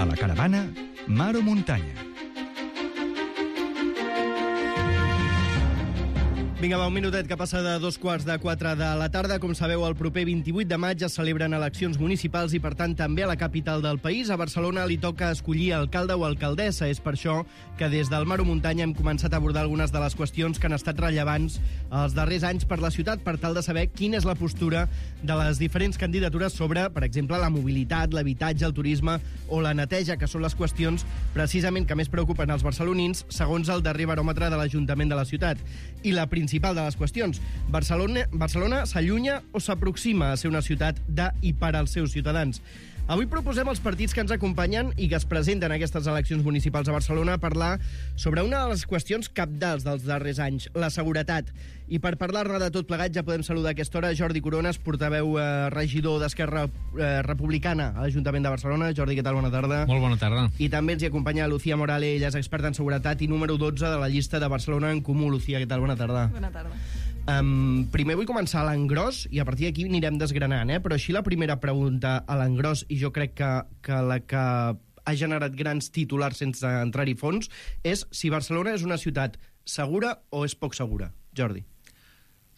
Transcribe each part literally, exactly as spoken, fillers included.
A la caravana, mar o muntanya. Vinga, va, un minutet que passa de dos quarts de quatre de la tarda. Com sabeu, el proper vint-i-vuit de maig es celebren eleccions municipals i, per tant, també a la capital del país. A Barcelona li toca escollir alcalde o alcaldessa. És per això que des del Mar o Muntanya hem començat a abordar algunes de les qüestions que han estat rellevants els darrers anys per la ciutat, per tal de saber quina és la postura de les diferents candidatures sobre, per exemple, la mobilitat, l'habitatge, el turisme o la neteja, que són les qüestions precisament que més preocupen els barcelonins, segons el darrer baròmetre de l'Ajuntament de la ciutat. I la principal de les qüestions, Barcelona, Barcelona s'allunya o s'aproxima a ser una ciutat de i per als seus ciutadans? Avui proposem als partits que ens acompanyen i que es presenten a aquestes eleccions municipals a Barcelona a parlar sobre una de les qüestions cabdals dels darrers anys, la seguretat. I per parlar-ne de tot plegat ja podem saludar a aquesta hora Jordi Corones, portaveu eh, regidor d'Esquerra eh, Republicana a l'Ajuntament de Barcelona. Jordi, què tal? Bona tarda. Molt bona tarda. I també ens hi acompanya Lucía Morales, ella és experta en seguretat i número dotze de la llista de Barcelona en Comú. Lucía, què tal? Bona tarda. Bona tarda. Um, primer vull començar a l'engròs i a partir d'aquí anirem desgranant, eh? Però així la primera pregunta a l'engròs, i jo crec que, que la que ha generat grans titulars sense entrar-hi fons, és si Barcelona és una ciutat segura o és poc segura. Jordi.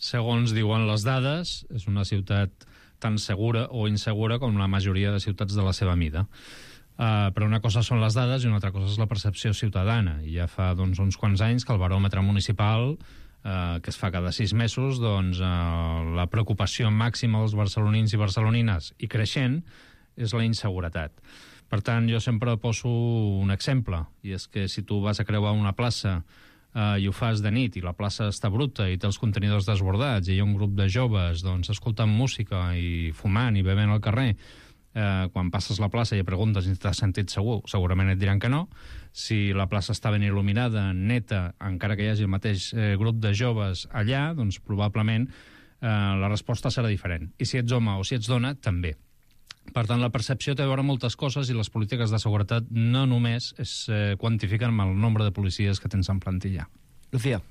Segons diuen les dades, és una ciutat tan segura o insegura com la majoria de ciutats de la seva mida. Uh, però una cosa són les dades i una altra cosa és la percepció ciutadana. I ja fa doncs, uns quants anys que el baròmetre municipal, uh, que es fa cada sis mesos, doncs, uh, la preocupació màxima dels barcelonins i barcelonines, i creixent, és la inseguretat. Per tant, jo sempre poso un exemple, i és que si tu vas a creuar una plaça uh, i ho fas de nit i la plaça està bruta i té els contenidors desbordats i hi ha un grup de joves doncs, escoltant música i fumant i bevent al carrer, Eh, quan passes la plaça i preguntes si t'has sentit segur, segurament et diran que no. Si la plaça està ben il·luminada, neta, encara que hi hagi el mateix eh, grup de joves allà, doncs probablement eh, la resposta serà diferent. I si ets home o si ets dona, també. Per tant, la percepció té a veure moltes coses i les polítiques de seguretat no només es eh, quantifiquen amb el nombre de policies que tens en plantilla. Lucía.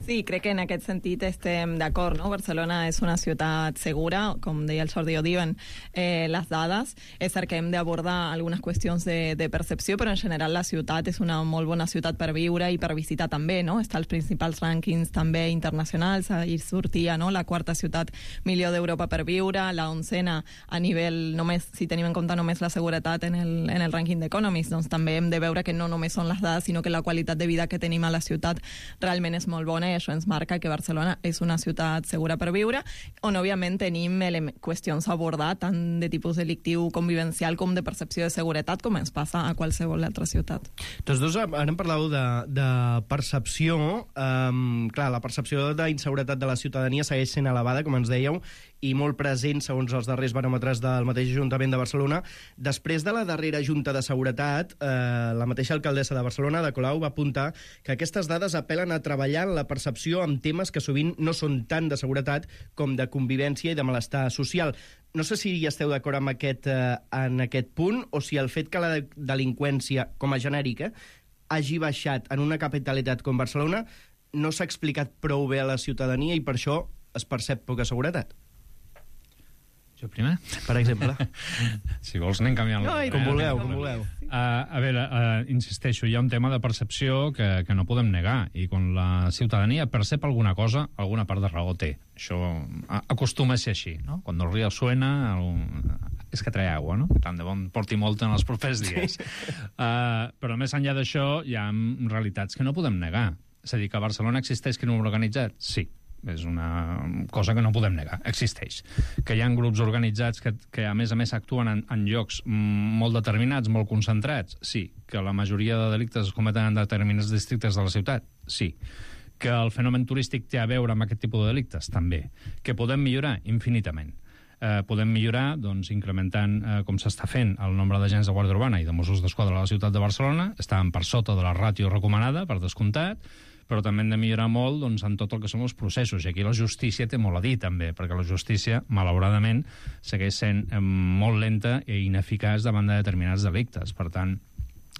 Sí, crec que en aquest sentit estem d'acord, no? Barcelona és una ciutat segura, com deia el Jordi, ho diuen eh, les dades. És cert que hem d'abordar algunes qüestions de, de percepció, però en general la ciutat és una molt bona ciutat per viure i per visitar també, no? Està als principals rànquings també internacionals, ahir sortia, no?, la quarta ciutat millor d'Europa per viure, la oncena a nivell, només, si tenim en compte només la seguretat en el, en el rànquing d'Economist, doncs també hem de veure que no només són les dades, sinó que la qualitat de vida que tenim a la ciutat realment és molt bona, i això ens marca que Barcelona és una ciutat segura per viure, on òbviament tenim qüestions a abordar tant de tipus delictiu, convivencial, com de percepció de seguretat, com ens passa a qualsevol altra ciutat. Tots dos ara em parlàveu de, de percepció. Um, clar, la percepció d'inseguretat de la ciutadania segueix sent elevada, com ens dèieu, i molt present, segons els darrers baròmetres del mateix Ajuntament de Barcelona. Després de la darrera Junta de Seguretat, eh, la mateixa alcaldessa de Barcelona, Ada Colau, va apuntar que aquestes dades apel·len a treballar en la percepció amb temes que sovint no són tant de seguretat com de convivència i de malestar social. No sé si hi esteu d'acord amb aquest, eh, en aquest punt, o si el fet que la delinqüència, com a genèrica, hagi baixat en una capitalitat com Barcelona no s'ha explicat prou bé a la ciutadania i per això es percep poca seguretat. Jo primer? Per exemple. Si vols anem canviant la... No, com vulgueu, com vulgueu. Uh, a veure, uh, insisteixo, hi ha un tema de percepció que, que no podem negar, i quan la ciutadania percep alguna cosa, alguna part de raó té. Això acostuma a ser així, no? Quan el río suena, el... és que trae aigua, no? Tant de bon porti molta en els propers dies. Uh, però més enllà d'això, hi ha realitats que no podem negar. És a dir, que a Barcelona existeix crim organitzat? Sí. És una cosa que no podem negar, existeix. Que hi ha grups organitzats que, que a més a més actuen en, en llocs molt determinats, molt concentrats? Sí. Que la majoria de delictes es cometen en determinats districtes de la ciutat? Sí. Que el fenomen turístic té a veure amb aquest tipus de delictes? També. Que podem millorar? Infinitament. Eh, podem millorar doncs, incrementant, eh, com s'està fent, el nombre d'agents de Guàrdia Urbana i de Mossos d'Esquadra a la ciutat de Barcelona. Estàvem per sota de la ràtio recomanada, per descomptat, però també hem de millorar molt doncs, en tot el que són els processos. I aquí la justícia té molt a dir, també, perquè la justícia, malauradament, segueix sent eh, molt lenta i ineficaç davant de determinats delictes. Per tant,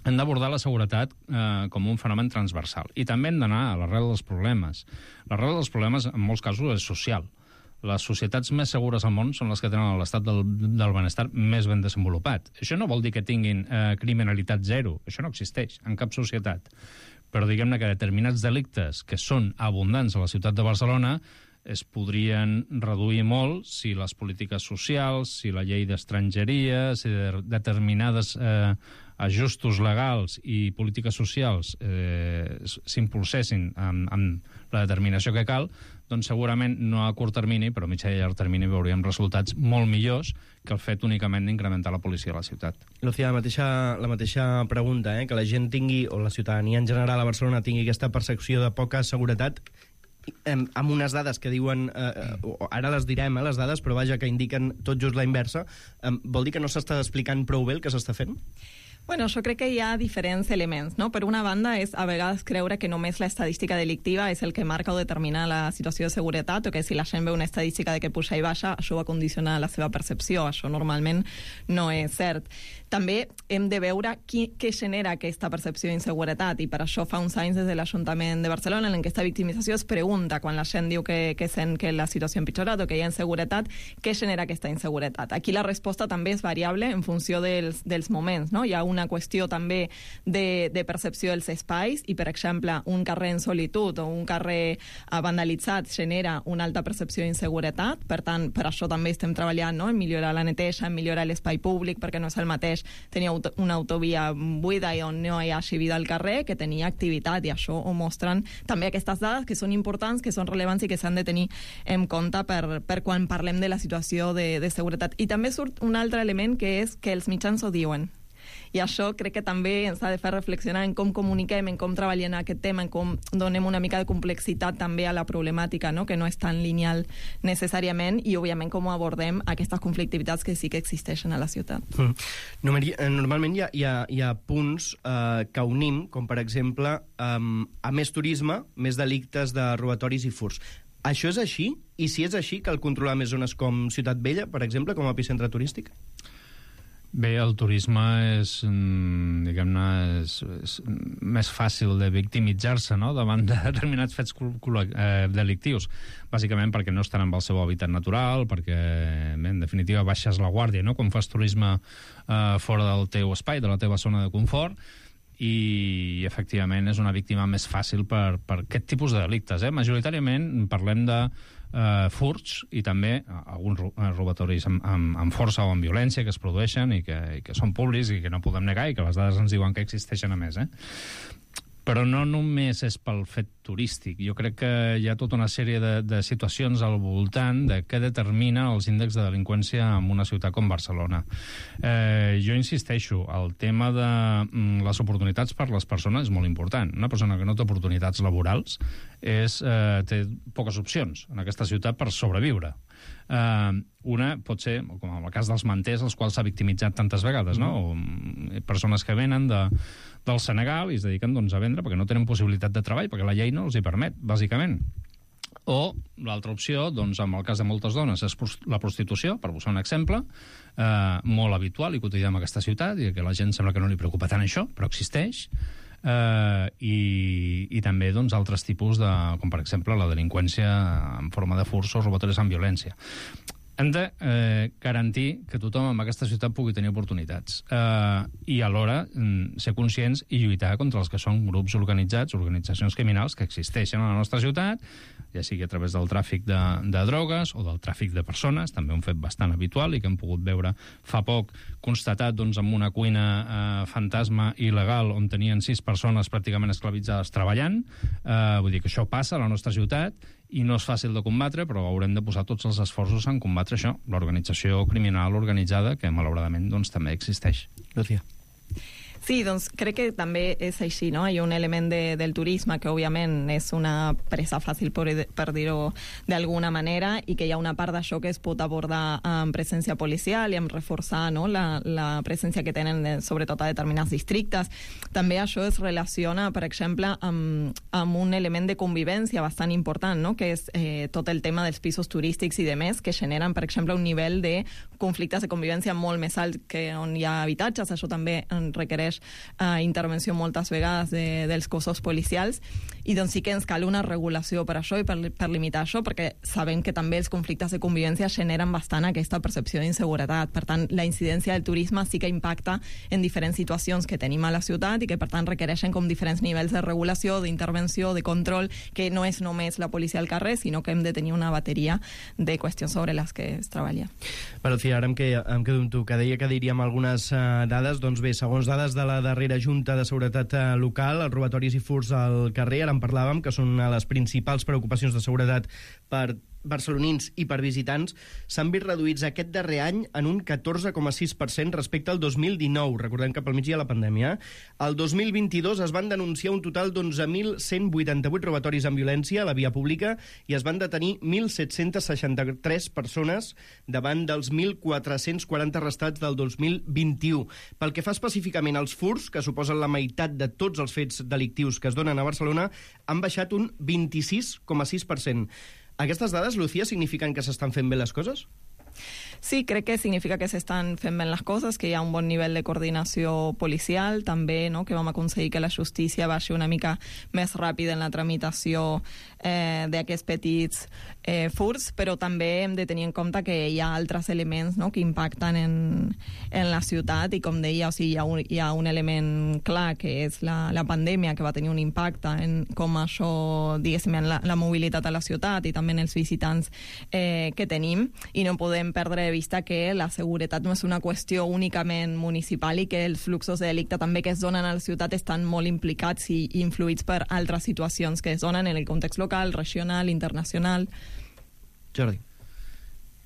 hem d'abordar la seguretat eh, com un fenomen transversal. I també hem d'anar a l'arrel dels problemes. L'arrel dels problemes, en molts casos, és social. les societats més segures al món són les que tenen l'estat del, del benestar més ben desenvolupat. Això no vol dir que tinguin eh, criminalitat zero, això no existeix en cap societat. Però diguem-ne que determinats delictes que són abundants a la ciutat de Barcelona es podrien reduir molt si les polítiques socials, si la llei d'estrangeria, si de determinades eh, ajustos legals i polítiques socials eh, s'impulsessin amb, amb la determinació que cal, doncs segurament no a curt termini, però a mitjà i llarg termini veuríem resultats molt millors que el fet únicament d'incrementar la policia a la ciutat. Lucía, la mateixa, la mateixa pregunta, eh? que la gent tingui, o la ciutadania en general a Barcelona tingui aquesta percepció de poca seguretat, amb unes dades que diuen, eh, ara les direm, eh, les dades, però vaja, que indiquen tot just la inversa, eh, vol dir que no s'està explicant prou bé el que s'està fent? Bueno, jo crec que hi ha diferents elements, no? Per una banda, és a vegades creure que només l'estadística delictiva és el que marca o determina la situació de seguretat, o que si la gent veu una estadística de que puja i baixa, això va condicionar la seva percepció. Això normalment no és cert. També hem de veure qui, què genera aquesta percepció d'inseguretat, i per això fa uns anys des de l'Ajuntament de Barcelona, en aquesta victimització es pregunta, quan la gent diu que, que sent que la situació ha empitjorat o que hi ha inseguretat, què genera aquesta inseguretat? Aquí la resposta també és variable en funció dels, dels moments, no? Hi ha una qüestió també de, de percepció dels espais, i per exemple un carrer en solitud o un carrer vandalitzat genera una alta percepció d'inseguretat. Per tant, per això també estem treballant, no? en millorar la neteja, en millorar l'espai públic, perquè no és el mateix tenir auto, una autovia buida i on no hi hagi vida al carrer que tenia activitat, i això ho mostren també aquestes dades, que són importants, que són rellevants i que s'han de tenir en compte per, per quan parlem de la situació de, de seguretat. I també surt un altre element, que és que els mitjans ho diuen. I això crec que també ens ha de fer reflexionar en com comuniquem, en com treballem aquest tema, en com donem una mica de complexitat també a la problemàtica, no? que no és tan lineal necessàriament, i òbviament com abordem aquestes conflictivitats que sí que existeixen a la ciutat. Mm. Normalment hi ha, hi ha, hi ha punts eh, que unim, com per exemple, eh, a més turisme, més delictes de robatoris i furts. Això és així? I si és així, cal controlar més zones com Ciutat Vella, per exemple, com a epicentre turístic? Bé, el turisme és, diguem-ne, és, és més fàcil de victimitzar-se, no?, davant de determinats fets eh, delictius, bàsicament perquè no estan amb el seu hàbitat natural, perquè, bé, en definitiva, baixes la guàrdia, no?, quan fas turisme eh, fora del teu espai, de la teva zona de confort, i, efectivament, és una víctima més fàcil per, per aquest tipus de delictes. Eh? Majoritàriament parlem de Uh, furts i també uh, alguns robatoris amb, amb, amb força o amb violència que es produeixen i que, i que són públics i que no podem negar i que les dades ens diuen que existeixen a més. Eh? Però no només és pel fet turístic. Jo crec que hi ha tota una sèrie de, de situacions al voltant de què determina els índexs de delinqüència en una ciutat com Barcelona. Eh, jo insisteixo, el tema de mm, les oportunitats per les persones és molt important. Una persona que no té oportunitats laborals és, eh, té poques opcions en aquesta ciutat per sobreviure. Uh, una pot ser, com en el cas dels manters, els quals s'ha victimitzat tantes vegades, no? O persones que venen de, del Senegal i es dediquen, doncs, a vendre perquè no tenen possibilitat de treball, perquè la llei no els hi permet, bàsicament. O l'altra opció, doncs, en el cas de moltes dones, és la prostitució, per posar un exemple, eh, molt habitual i quotidià en aquesta ciutat, i que la gent sembla que no li preocupa tant això, però existeix. Uh, i, i també, doncs, altres tipus de, com per exemple la delinqüència en forma de furts o robatoris amb violència. Hem de eh, garantir que tothom en aquesta ciutat pugui tenir oportunitats eh, i alhora mm, ser conscients i lluitar contra els que són grups organitzats, organitzacions criminals que existeixen a la nostra ciutat, ja sigui a través del tràfic de, de drogues o del tràfic de persones, també un fet bastant habitual i que hem pogut veure fa poc constatat, doncs, amb una cuina eh, fantasma il·legal on tenien sis persones pràcticament esclavitzades treballant. Eh, vull dir que això passa a la nostra ciutat i no és fàcil de combatre, però haurem de posar tots els esforços en combatre això, l'organització criminal organitzada, que malauradament, doncs, també existeix. Lucía. Sí, doncs crec que també és així, no? Hi ha un element de, del turisme que, òbviament, és una presa fàcil, per, per dir-ho d'alguna manera, i que hi ha una part d'això que es pot abordar amb presència policial i amb reforçar, no?, la, la presència que tenen, de, sobretot a determinats districtes. També això es relaciona, per exemple, amb, amb un element de convivència bastant important, no?, que és eh, tot el tema dels pisos turístics i demés, que generen, per exemple, un nivell de conflictes de convivència molt més alt que on hi ha habitatges. Això també requereix requereix uh, intervenció moltes vegades de, dels cossos policials, i doncs sí que ens cal una regulació per això i per, per limitar això, perquè sabem que també els conflictes de convivència generen bastant aquesta percepció d'inseguretat. Per tant, la incidència del turisme sí que impacta en diferents situacions que tenim a la ciutat i que, per tant, requereixen com diferents nivells de regulació, d'intervenció, de control, que no és només la policia al carrer, sinó que hem de tenir una bateria de qüestions sobre les que es treballa. Però, Lucía, ara em, que, em quedo amb tu, que deia que diríem algunes uh, dades. Doncs bé, segons dades de la darrera Junta de Seguretat uh, Local, els robatoris i furts al carrer, ara en parlàvem, que són una de les principals preocupacions de seguretat per barcelonins i per visitants, s'han vist reduïts aquest darrer any en un catorze coma sis per cent respecte al dos mil dinou. Recordem que pel mig hi ha la pandèmia. El dos mil vint-i-dos es van denunciar un total d'onze mil cent vuitanta-vuit robatoris amb violència a la via pública i es van detenir mil set-cents seixanta-tres persones davant dels mil quatre-cents quaranta arrestats del dos mil vint-i-u. Pel que fa específicament als furts, que suposen la meitat de tots els fets delictius que es donen a Barcelona, han baixat un vint-i-sis coma sis per cent. Aquestes dades, Lucía, signifiquen que s'estan fent bé les coses? Sí, crec que significa que s'estan fent bé les coses, que hi ha un bon nivell de coordinació policial, també, no?, que vam aconseguir que la justícia baixi una mica més ràpid en la tramitació eh, d'aquests petits eh, furts, però també hem de tenir en compte que hi ha altres elements, no?, que impacten en, en la ciutat, i com deia, o sigui, hi ha un, hi ha un element clar, que és la, la pandèmia, que va tenir un impacte en com això, diguéssim, en la, la mobilitat a la ciutat i també en els visitants eh, que tenim, i no podem perdre de vista que la seguretat no és una qüestió únicament municipal i que els fluxos de delicte també que es donen a la ciutat estan molt implicats i influïts per altres situacions que es donen en el context local, regional, internacional. Jordi.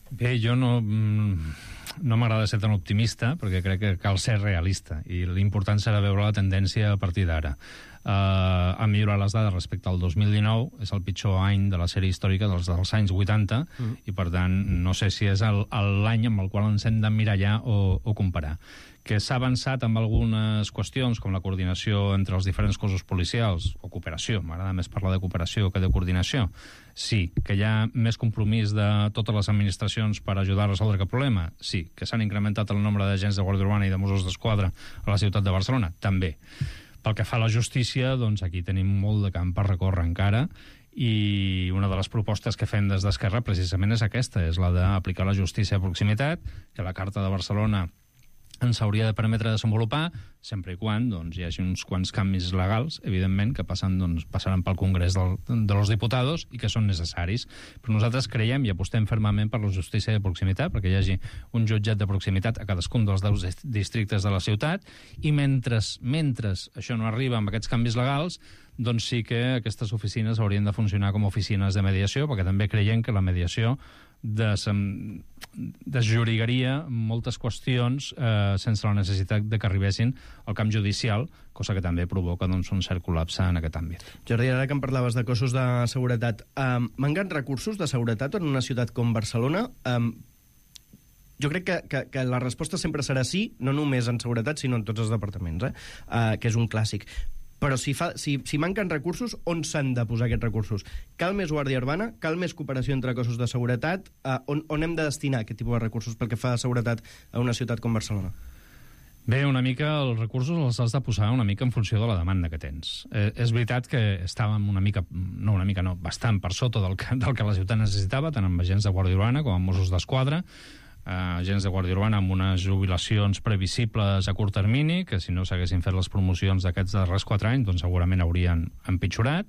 Bé, jo no, no m'agrada ser tan optimista perquè crec que cal ser realista i l'important serà veure la tendència a partir d'ara. Uh, han millorat les dades respecte al dos mil dinou, és el pitjor any de la sèrie històrica dels, dels anys vuitanta, mm. i per tant no sé si és l'any amb el qual ens hem d'emmirallar o, o comparar. Que s'ha avançat amb algunes qüestions, com la coordinació entre els diferents cossos policials, o cooperació, m'agrada més parlar de cooperació que de coordinació. Sí. Que hi ha més compromís de totes les administracions per ajudar a resoldre aquest problema? Sí. Que s'han incrementat el nombre d'agents de Guàrdia Urbana i de Mossos d'Esquadra a la ciutat de Barcelona? També. Pel que fa a la justícia, doncs aquí tenim molt de camp per recórrer encara, i una de les propostes que fem des d'Esquerra precisament és aquesta, és la d'aplicar la justícia de proximitat, que la Carta de Barcelona ens hauria de permetre desenvolupar, sempre i quan doncs, hi hagi uns quants canvis legals, evidentment, que passen, doncs, passaran pel Congrés del, de los Diputados i que són necessaris. Però nosaltres creiem i apostem fermament per la justícia de proximitat, perquè hi hagi un jutjat de proximitat a cadascun dels deu districtes de la ciutat, i mentre, mentre això no arriba amb aquests canvis legals, doncs sí que aquestes oficines haurien de funcionar com a oficines de mediació, perquè també creiem que la mediació des, desjurigaria moltes qüestions eh, sense la necessitat de que arribessin al camp judicial, cosa que també provoca doncs, un cert col·lapse en aquest àmbit. Jordi, ara que em parlaves de cossos de seguretat, eh, manquen recursos de seguretat en una ciutat com Barcelona? Eh, jo crec que, que, que la resposta sempre serà sí, no només en seguretat, sinó en tots els departaments, eh? Eh, que és un clàssic. Però si, fa, si, si manquen recursos, on s'han de posar aquests recursos? Cal més guàrdia urbana? Cal més cooperació entre cossos de seguretat? Uh, on, on hem de destinar aquest tipus de recursos pel que fa a seguretat a una ciutat com Barcelona? Bé, una mica els recursos els has de posar una mica en funció de la demanda que tens. Eh, és veritat que estàvem una mica, no una mica, no, bastant per sota del que, del que la ciutat necessitava, tant amb agents de guàrdia urbana com amb Mossos d'Esquadra, Uh, agents de Guàrdia Urbana amb unes jubilacions previsibles a curt termini, que si no s'haguessin fet les promocions d'aquests darrers quatre anys, doncs segurament haurien empitjorat.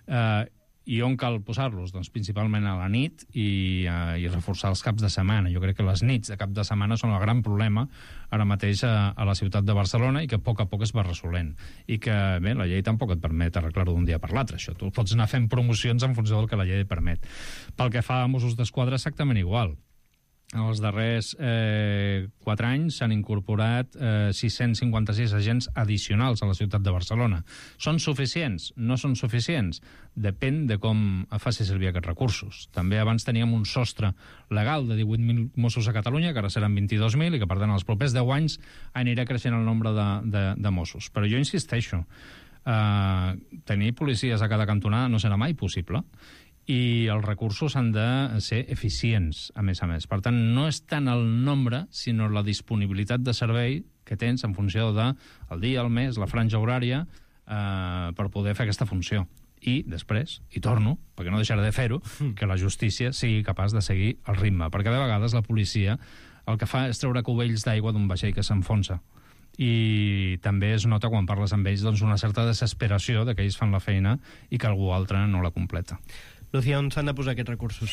Uh, I on cal posar-los? Doncs principalment a la nit i, uh, i reforçar els caps de setmana. Jo crec que les nits de cap de setmana són el gran problema ara mateix a, a la ciutat de Barcelona i que a poc a poc es va resolent. I que, bé, la llei tampoc et permet arreglar-ho d'un dia per l'altre, això. Tu pots anar fent promocions en funció del que la llei et permet. Pel que fa a Mossos d'Esquadra, exactament igual. En els darrers eh, quatre anys s'han incorporat eh, sis-cents cinquanta-sis agents addicionals a la ciutat de Barcelona. Són suficients? No són suficients? Depèn de com faci servir aquests recursos. També abans teníem un sostre legal de divuit mil Mossos a Catalunya, que ara seran vint-i-dos mil, i que per tant els propers deu anys anirà creixent el nombre de, de, de Mossos. Però jo insisteixo, eh, tenir policies a cada cantonada no serà mai possible, i els recursos han de ser eficients, a més a més. Per tant, no és tant el nombre, sinó la disponibilitat de servei que tens en funció del dia, el mes, la franja horària, eh, per poder fer aquesta funció. I després, i torno, perquè no deixaré de fer-ho, que la justícia sigui capaç de seguir el ritme, perquè de vegades la policia el que fa és treure cubells d'aigua d'un vaixell que s'enfonsa. I també es nota quan parles amb ells doncs, una certa desesperació de que ells fan la feina i que algú altre no la completa. Lucía, on s'han de posar aquests recursos?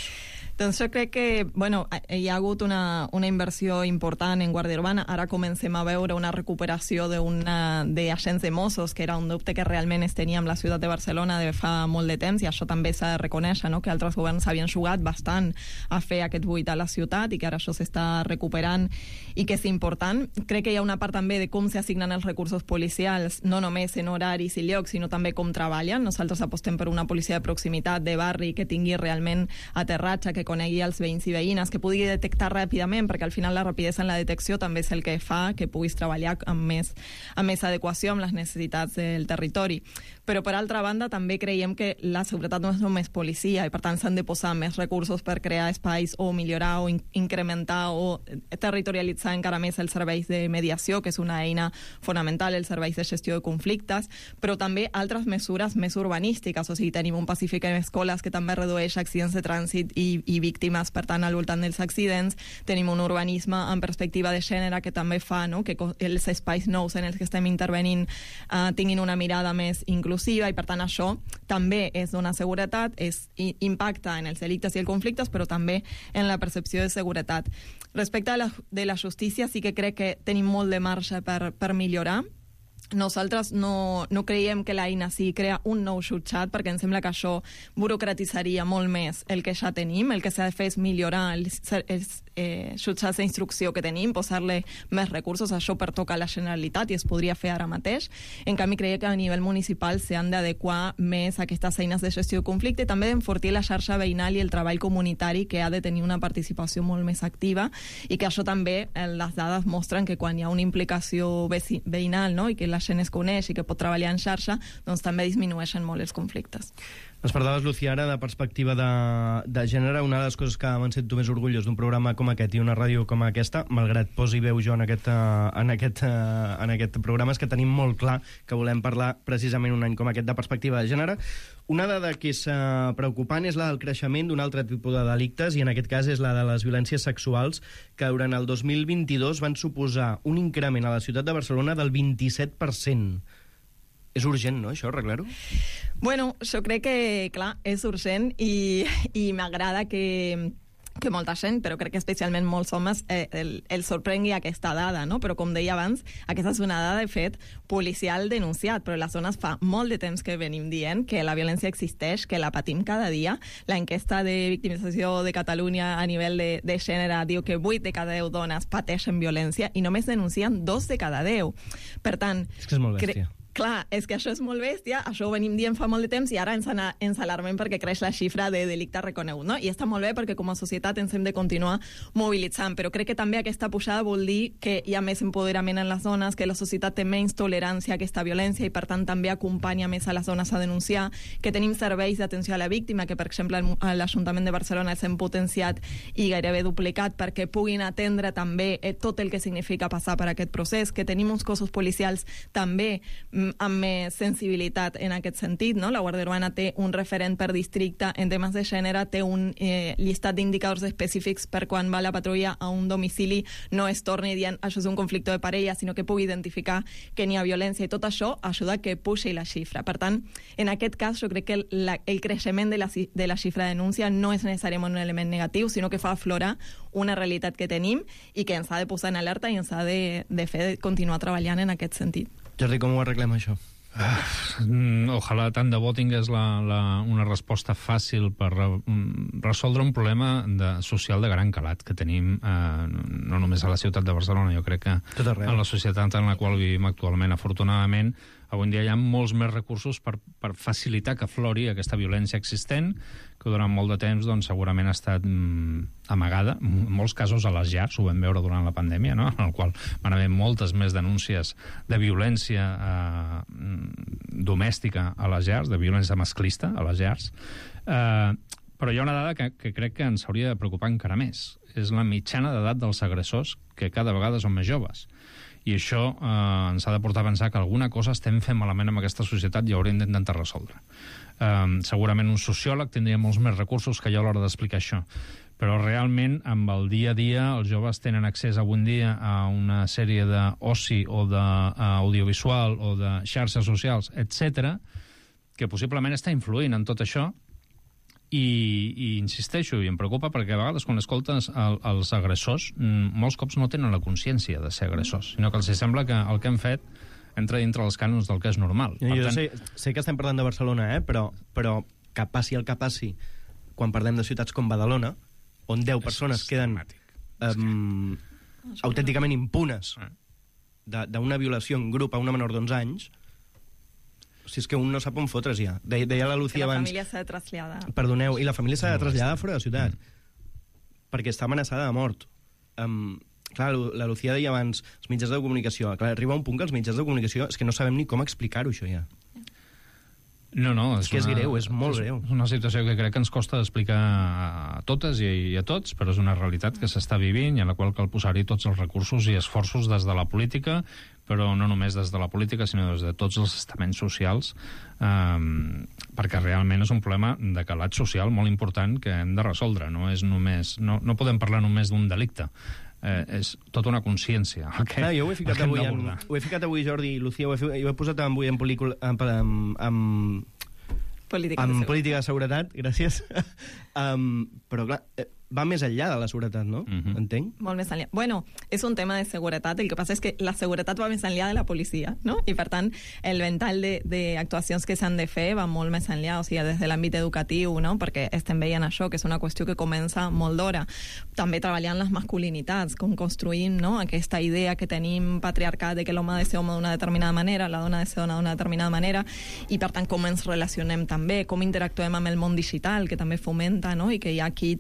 Doncs jo crec que bueno, hi ha hagut una, una inversió important en Guàrdia Urbana. Ara comencem a veure una recuperació d'agents de Mossos, que era un dubte que realment es tenia amb la ciutat de Barcelona de fa molt de temps, i això també s'ha de reconèixer, no? Que altres governs havien jugat bastant a fer aquest buit a la ciutat i que ara això s'està recuperant i que és important. Crec que hi ha una part també de com s'assignen els recursos policials, no només en horaris i llocs, sinó també com treballen. Nosaltres apostem per una policia de proximitat, de barri, que tingui realment aterratge, que conegui els veïns i veïnes, que pugui detectar ràpidament, perquè al final la rapidesa en la detecció també és el que fa que puguis treballar amb més, amb més adequació amb les necessitats del territori. Però, per altra banda, també creiem que la seguretat no és només policia i, per tant, s'han de posar més recursos per crear espais o millorar o in incrementar o territorialitzar encara més els serveis de mediació, que és una eina fonamental, els serveis de gestió de conflictes, però també altres mesures més urbanístiques. O sigui, tenim un Pacífic en escoles que també redueix accidents de trànsit i, i víctimes, per tant, al voltant dels accidents. Tenim un urbanisme en perspectiva de gènere que també fa, no?, que els espais nous en els que estem intervenint uh, tinguin una mirada més inclusiva i, per tant, això també és donar seguretat, és, impacta en els delictes i els conflictes, però també en la percepció de seguretat. Respecte a la, de la justícia, sí que crec que tenim molt de marge per, per millorar. Nosaltres no, no creiem que l'eina sí crea un nou jutjat, perquè em sembla que això burocratitzaria molt més el que ja tenim. El que s'ha de fer és millorar els, els eh, jutjats d'instrucció que tenim, posar-li més recursos. Això pertoca a la Generalitat i es podria fer ara mateix. En canvi, creiem que a nivell municipal s'han d'adequar més a aquestes eines de gestió de conflicte i també d'enfortir la xarxa veïnal i el treball comunitari, que ha de tenir una participació molt més activa, i que això també, eh, les dades mostren que quan hi ha una implicació veïnal, no?, i que la gent es coneix i que pot treballar en xarxa, doncs també disminueixen molt els conflictes. Ens parlaves, Lucía, ara de perspectiva de, de gènere. Una de les coses que me'n sento més orgullós d'un programa com aquest i una ràdio com aquesta, malgrat posi veu jo en aquest, en, aquest, en aquest programa, és que tenim molt clar que volem parlar precisament un any com aquest de perspectiva de gènere. Una dada que és uh, preocupant és la del creixement d'un altre tipus de delictes, i en aquest cas és la de les violències sexuals, que durant el dos mil vint-i-dos van suposar un increment a la ciutat de Barcelona del vint-i-set per cent. És urgent, no, això, arreglar-ho? Bueno, jo crec que, clar, és urgent i, i m'agrada que, que molta gent, però crec que especialment molts homes, eh, el, el sorprengui aquesta dada, no? Però, com deia abans, aquesta és una dada, de fet, policial denunciat, però les zones fa molt de temps que venim dient que la violència existeix, que la patim cada dia. L'enquesta de victimització de Catalunya a nivell de, de gènere diu que vuit de cada deu dones pateixen violència i només denuncien dos de cada deu. Per tant... És que és molt bèstia. Clar, és que això és molt bèstia, això ho venim dient fa molt de temps i ara ens, ana, ens alarmem perquè creix la xifra de delicte reconegut, no? I està molt bé perquè com a societat ens hem de continuar mobilitzant, però crec que també aquesta pujada vol dir que hi ha més empoderament en les dones, que la societat té menys tolerància a aquesta violència i per tant també acompanya més a les dones a denunciar, que tenim serveis d'atenció a la víctima, que per exemple l'Ajuntament de Barcelona els hem potenciat i gairebé duplicat perquè puguin atendre també eh, tot el que significa passar per aquest procés, que tenim uns cossos policials també amb més sensibilitat en aquest sentit, no? La Guàrdia Urbana té un referent per districte en temes de gènere, té un eh, llistat d'indicadors específics per quan va la patrulla a un domicili no es torni dient això és un conflicte de parella, sinó que pugui identificar que n'hi ha violència, i tot això ajuda que puixi la xifra. Per tant, en aquest cas, jo crec que el, la, el creixement de la, de la xifra de denúncia no és necessàriament un element negatiu, sinó que fa aflorar una realitat que tenim i que ens ha de posar en alerta i ens ha de, de fer de continuar treballant en aquest sentit. Jordi, com ho arreglem, això? Ah, ojalà tant de bo tingués la, la, una resposta fàcil per re, resoldre un problema de, social de gran calat que tenim eh, no només a la ciutat de Barcelona, jo crec que en la societat en la qual vivim actualment. Afortunadament, avui en dia hi ha molts més recursos per, per facilitar que aflori aquesta violència existent, que durant molt de temps doncs, segurament ha estat mm, amagada, en molts casos a les llars, ho vam veure durant la pandèmia, no? En el qual van haver moltes més denúncies de violència eh, domèstica a les llars, de violència masclista a les llars, eh, però hi ha una dada que, que crec que ens hauria de preocupar encara més. És la mitjana d'edat dels agressors, que cada vegada són més joves. I això eh, ens ha de portar a pensar que alguna cosa estem fent malament amb aquesta societat i haurem d'intentar resoldre. Eh, segurament un sociòleg tindria molts més recursos que jo a l'hora d'explicar això, però realment amb el dia a dia els joves tenen accés avui en dia a una sèrie d'oci o d'audiovisual o de xarxes socials, etcètera, que possiblement està influint en tot això. I, i insisteixo, i em preocupa perquè a vegades quan escoltes el, els agressors, molts cops no tenen la consciència de ser agressors, sinó que els sembla que el que han fet entra dintre els cànons del que és normal. Jo, jo tant... sé, sé que estem parlant de Barcelona, eh? però, però que passi el que passi quan parlem de ciutats com Badalona, on deu persones queden um, autènticament impunes d'una violació en grup a una menor d'onze anys. Si és que un no sap on fotre's ja. Deia, deia la Lucía abans... Que la família s'ha de traslladar. Perdoneu, i la família s'ha de traslladar fora de ciutat, mm. perquè està amenaçada de mort. Um, clar, la Lucía deia abans, els mitjans de comunicació. Clar, arriba un punt que els mitjans de comunicació és que no sabem ni com explicar-ho, això ja. No, no, és, és que és una, greu, és molt és, greu. És una situació que crec que ens costa d'explicar a totes i, i a tots, però és una realitat que s'està vivint i a la qual cal posar-hi tots els recursos i esforços des de la política, però no només des de la política, sinó des de tots els estaments socials, eh, perquè realment és un problema de calat social molt important que hem de resoldre. No és només, no, no podem parlar només d'un delicte. Eh, és tota una consciència el que, ah, jo ho he ficat avui en, ho he ficat avui, Jordi i Lucía, ho he, jo he posat avui en pel·lícula en, en, en, política, en de política de seguretat, gràcies. um, però clar, va més enllà de la seguretat, no? Uh-huh. Entenc? Molt més enllà. Bueno, és un tema de seguretat. El que passa és que la seguretat va més enllà de la policia, no? I, per tant, el ventall d'actuacions que s'han de fer va molt més enllà, o sigui, des de l'àmbit educatiu, no? Perquè estem veient això, que és una qüestió que comença molt d'hora. També treballant les masculinitats, com construïm, no? Aquesta idea que tenim patriarcat de que l'home ha de ser home d'una determinada manera, la dona ha de ser dona d'una determinada manera, i, per tant, com ens relacionem també, com interactuem amb el món digital, que també fomenta, no? I que hi ha aquí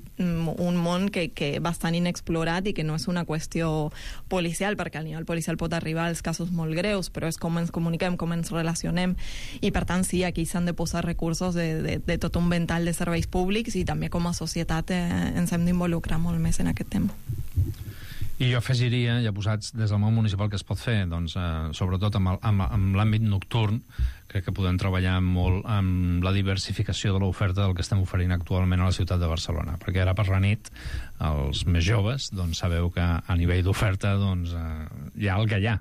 un món que, que bastant inexplorat i que no és una qüestió policial, perquè al nivell policial pot arribar als casos molt greus, però és com ens comuniquem, com ens relacionem, i per tant sí, aquí s'han de posar recursos de, de, de tot un ventall de serveis públics i també com a societat eh, ens hem d'involucrar molt més en aquest tema. I jo afegiria, ja posats des del món municipal que es pot fer, doncs, eh, sobretot amb, el, amb, amb l'àmbit nocturn, crec que podem treballar molt amb la diversificació de l'oferta del que estem oferint actualment a la ciutat de Barcelona, perquè ara per la nit els més joves doncs, sabeu que a nivell d'oferta doncs, eh, hi ha el que hi ha,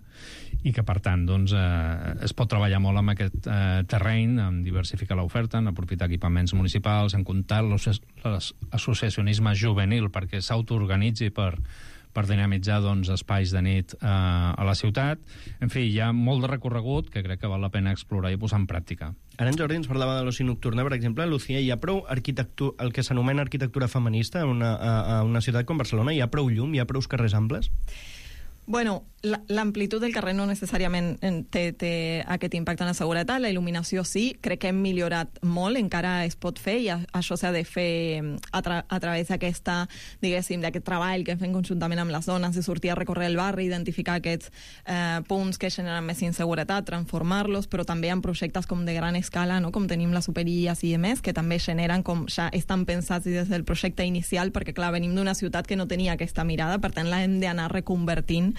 i que per tant doncs, eh, es pot treballar molt amb aquest eh, terreny, en diversificar l'oferta, en aprofitar equipaments municipals, en comptar l'associacionisme juvenil perquè s'autoorganitzi per per dinamitzar doncs, espais de nit eh, a la ciutat. En fi, hi ha molt de recorregut que crec que val la pena explorar i posar en pràctica. Ara en Jordi ens parlava de l'oci nocturna, per exemple. Lucía, hi ha prou arquitectura, el que s'anomena arquitectura feminista en una, a, a una ciutat com Barcelona? Hi ha prou llum? Hi ha prous carrers amples? Bueno, l'amplitud del carrer no necessàriament té, té aquest impacte en la seguretat, la il·luminació sí, crec que hem millorat molt, encara es pot fer i això s'ha de fer a, tra a través d'aquesta, diguéssim, d'aquest treball que fem conjuntament amb les dones, de sortir a recórrer el barri, identificar aquests eh, punts que generen més inseguretat, transformar-los, però també hi ha projectes com de gran escala, no? Com tenim les superilles i demés, que també generen com ja estan pensats des del projecte inicial, perquè clar, venim d'una ciutat que no tenia aquesta mirada, per tant l'hem d'anar reconvertint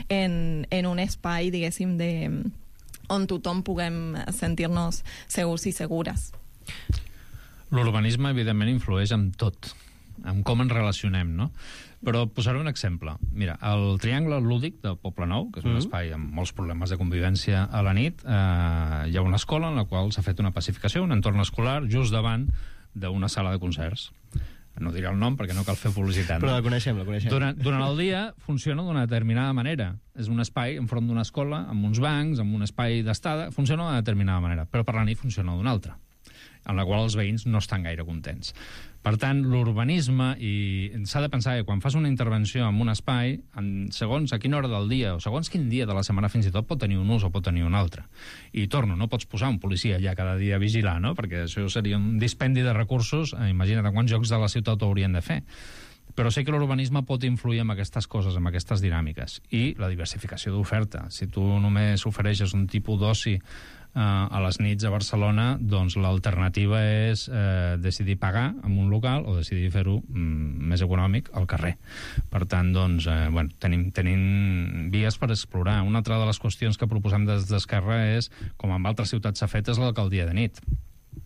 en, en un espai, diguéssim, de, on tothom puguem sentir-nos segurs i segures. L'urbanisme, evidentment, influeix en tot, en com ens relacionem, no? Però posaré un exemple. Mira, el Triangle Lúdic de Poblenou, que és un mm-hmm. espai amb molts problemes de convivència a la nit, eh, hi ha una escola en la qual s'ha fet una pacificació, un entorn escolar, just davant d'una sala de concerts. No diré el nom perquè no cal fer publicitat. Però no? la coneixem, la coneixem. Durant, durant el dia funciona d'una determinada manera. És un espai enfront d'una escola, amb uns bancs, amb un espai d'estada, funciona d'una determinada manera, però per la nit funciona d'una altra, en la qual els veïns no estan gaire contents. Per tant, l'urbanisme, i s'ha de pensar que quan fas una intervenció en un espai, en segons a quina hora del dia, o segons quin dia de la setmana fins i tot, pot tenir un ús o pot tenir un altre. I torno, no pots posar un policia allà cada dia a vigilar, no? Perquè això seria un dispendi de recursos, eh, imagina't quants jocs de la ciutat ho haurien de fer. Però sé que l'urbanisme pot influir en aquestes coses, en aquestes dinàmiques. I la diversificació d'oferta. Si tu només ofereixes un tipus d'oci a les nits a Barcelona, doncs l'alternativa és eh, decidir pagar en un local o decidir fer-ho mm, més econòmic al carrer. Per tant, doncs, eh, bueno, tenim, tenim vies per explorar. Una altra de les qüestions que proposem des d'Esquerra és, com en altres ciutats s'ha fet, és l'alcaldia de nit,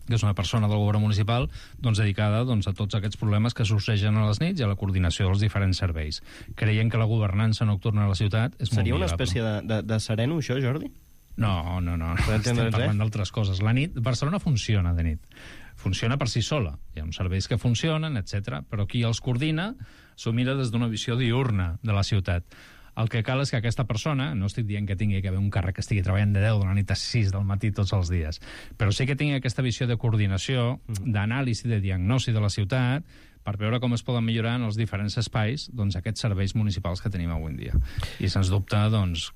que és una persona del govern municipal doncs, dedicada doncs, a tots aquests problemes que sorgeixen a les nits i a la coordinació dels diferents serveis. Creiem que la governança nocturna a la ciutat és Seria molt una millorable. espècie de, de, de sereno, això, Jordi? No, no, no. no. Estem parlant d'altres coses. La nit, Barcelona funciona de nit. Funciona per si sola. Hi ha uns serveis que funcionen, etcètera, però qui els coordina s'ho mira des d'una visió diurna de la ciutat. El que cal és que aquesta persona, no estic dient que tingui que haver un càrrec que estigui treballant de deu de la nit a sis del matí tots els dies, però sí que tingui aquesta visió de coordinació, d'anàlisi, de diagnosi de la ciutat, per veure com es poden millorar en els diferents espais doncs, aquests serveis municipals que tenim avui en dia. I sens dubte, doncs,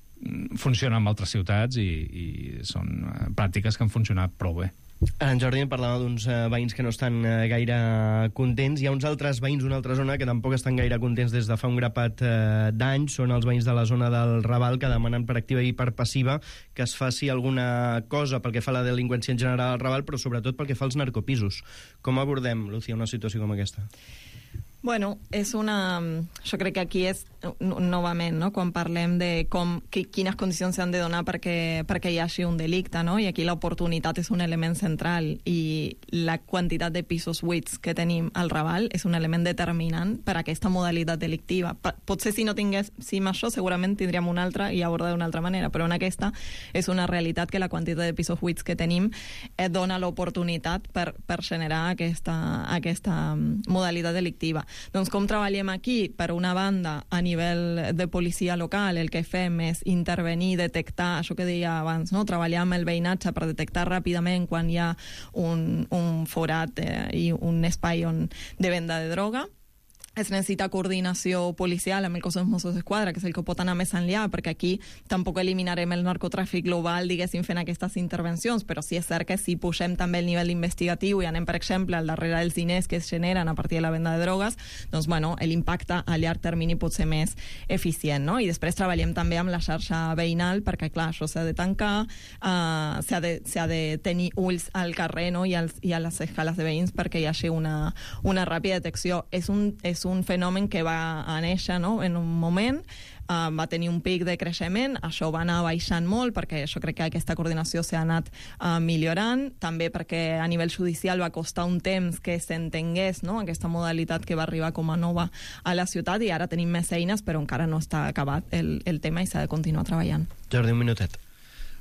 funciona en altres ciutats i, i són pràctiques que han funcionat prou bé. Ara en Jordi em parlava d'uns eh, veïns que no estan eh, gaire contents. Hi ha uns altres veïns d'una altra zona que tampoc estan gaire contents des de fa un grapat eh, d'anys. Són els veïns de la zona del Raval, que demanen per activa i per passiva que es faci alguna cosa pel que fa a la delinqüència en general al Raval, però sobretot pel que fa als narcopisos. Com abordem, Lucía, una situació com aquesta? Bueno, és una... Jo crec que aquí és, novament, no? Quan parlem de com, que, quines condicions s'han de donar perquè, perquè hi hagi un delicte, no? I aquí l'oportunitat és un element central i la quantitat de pisos buits que tenim al Raval és un element determinant per a aquesta modalitat delictiva. Potser si no tinguéssim això, segurament tindríem una altra i abordar d'una altra manera, però en aquesta és una realitat que la quantitat de pisos buits que tenim et dona l'oportunitat per, per generar aquesta, aquesta modalitat delictiva. Doncs com treballem aquí? Per una banda, a nivell de policia local, el que fem és intervenir, detectar, això que deia abans, no? Treballar amb el veïnatge per detectar ràpidament quan hi ha un, un forat eh, i un espai on, de venda de droga. Es necessita coordinació policial amb el cos dels Mossos d'Esquadra, que és el que pot anar més enllà, perquè aquí tampoc eliminarem el narcotràfic global, diguéssim, fent aquestes intervencions, però sí és cert que si pugem també el nivell investigatiu i anem, per exemple, al darrere dels diners que es generen a partir de la venda de drogues, doncs, bueno, l'impacte a llarg termini pot ser més eficient, no? I després treballem també amb la xarxa veïnal, perquè, clar, això s'ha de tancar, uh, s'ha de, s'ha de tenir ulls al carrer, no? I, als, i a les escales de veïns perquè hi hagi una, una ràpida detecció. És un, és un fenomen que va a néixer, no? En un moment, uh, va tenir un pic de creixement, això va anar baixant molt perquè jo crec que aquesta coordinació s'ha anat uh, millorant, també perquè a nivell judicial va costar un temps que s'entengués, no? Aquesta modalitat que va arribar com a nova a la ciutat i ara tenim més eines però encara no està acabat el, el tema i s'ha de continuar treballant. Jordi, un minutet.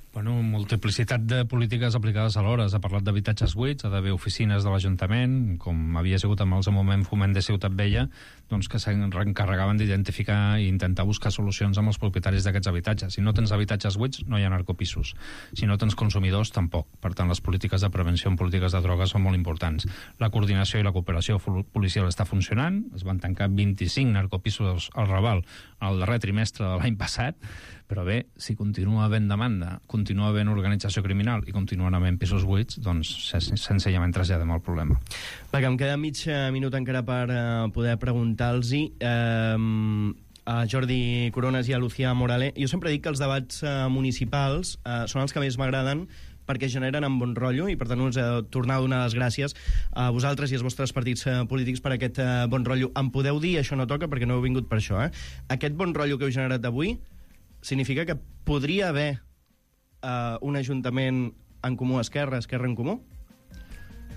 Bueno, multiplicitat de polítiques aplicades alhora. S'ha parlat d'habitatges buits, ha d'haver oficines de l'Ajuntament, com havia sigut amb el seu moment Foment de Ciutat Vella, doncs que s'encarregaven d'identificar i intentar buscar solucions amb els propietaris d'aquests habitatges. Si no tens habitatges buits, no hi ha narcopisos. Si no tens consumidors, tampoc. Per tant, les polítiques de prevenció en polítiques de drogues són molt importants. La coordinació i la cooperació policial està funcionant. Es van tancar vint-i-cinc narcopisos al Raval el darrer trimestre de l'any passat, però bé, si continua havent demanda, continua havent organització criminal i continuen havent pisos buits, doncs senzillament traslladem el problema. Va, que em queda mig minut encara per uh, poder preguntar-los-hi uh, a Jordi Coronas i a Lucía Morale. Jo sempre dic que els debats uh, municipals uh, són els que més m'agraden perquè generen en bon rotllo i per tant us he de tornar a donar les gràcies a vosaltres i als vostres partits uh, polítics per aquest uh, bon rotllo. Em podeu dir, això no toca perquè no heu vingut per això, eh? Aquest bon rotllo que heu generat avui significa que podria haver uh, un ajuntament en comú Esquerra, Esquerra en Comú?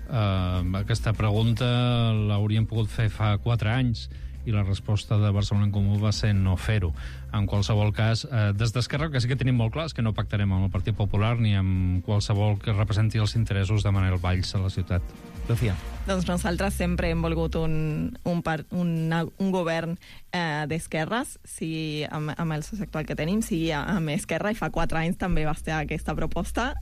Uh, aquesta pregunta l'hauríem pogut fer fa quatre anys i la resposta de Barcelona en Comú va ser no fer-ho. En qualsevol cas, eh, des d'Esquerra el que sí que tenim molt clar és que no pactarem amb el Partit Popular ni amb qualsevol que representi els interessos de Manel Valls a la ciutat. Lucía. Doncs nosaltres sempre hem volgut un, un, part, una, un govern eh, d'esquerres, sigui amb, amb el soci actual que tenim, sigui amb Esquerra, i fa quatre anys també va estar aquesta proposta.